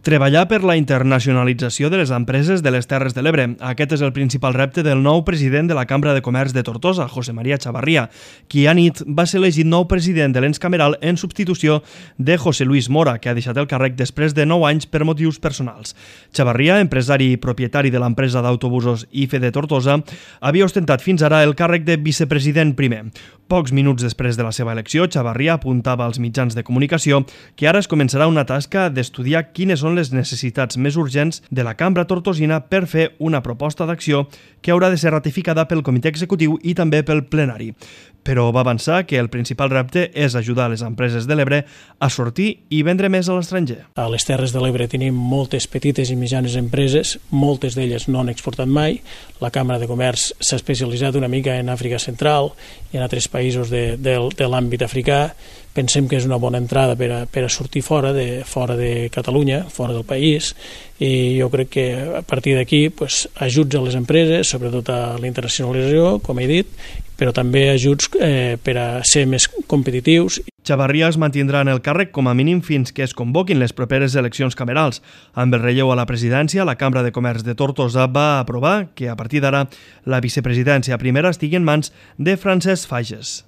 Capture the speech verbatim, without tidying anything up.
Treballar per la internacionalització de les empreses de les Terres de l'Ebre. Aquest és el principal repte del nou president de la Cambra de Comerç de Tortosa, José María Chavarría, qui anit va ser elegit nou president de l'ens cameral en substitució de José Luis Mora, que ha deixat el càrrec després de nou anys per motius personals. Chavarría, empresari i propietari de l'empresa d'autobusos I F E de Tortosa, havia ostentat fins ara el càrrec de vicepresident primer. Pocs minuts després de la seva elecció, Chavarría apuntava als mitjans de comunicació que ara es començarà una tasca d'estudiar quines són les necessitats més urgents de la cambra tortosina per fer una proposta d'acció que haurà de ser ratificada pel comitè executiu i també pel plenari. Però va avançar que el principal repte és ajudar les empreses de l'Ebre a sortir i vendre més a l'estranger. A les Terres de l'Ebre tenim moltes petites i mitjanes empreses, moltes d'elles no han exportat mai. La Cambra de Comerç s'ha especialitzat una mica en Àfrica Central i en altres països de, de, de l'àmbit africà. Pensem que és una bona entrada per a, per a sortir fora de, fora de Catalunya, fora del país, i jo crec que a partir d'aquí pues, ajuts a les empreses, sobretot a la internacionalització, com he dit, però també ajuts eh, per a ser més competitius. Chavarría es mantindrà en el càrrec com a mínim fins que es convoquin les properes eleccions camerals. Amb el relleu a la presidència, la Cambra de Comerç de Tortosa va aprovar que a partir d'ara la vicepresidència primera estigui en mans de Francesc Fages.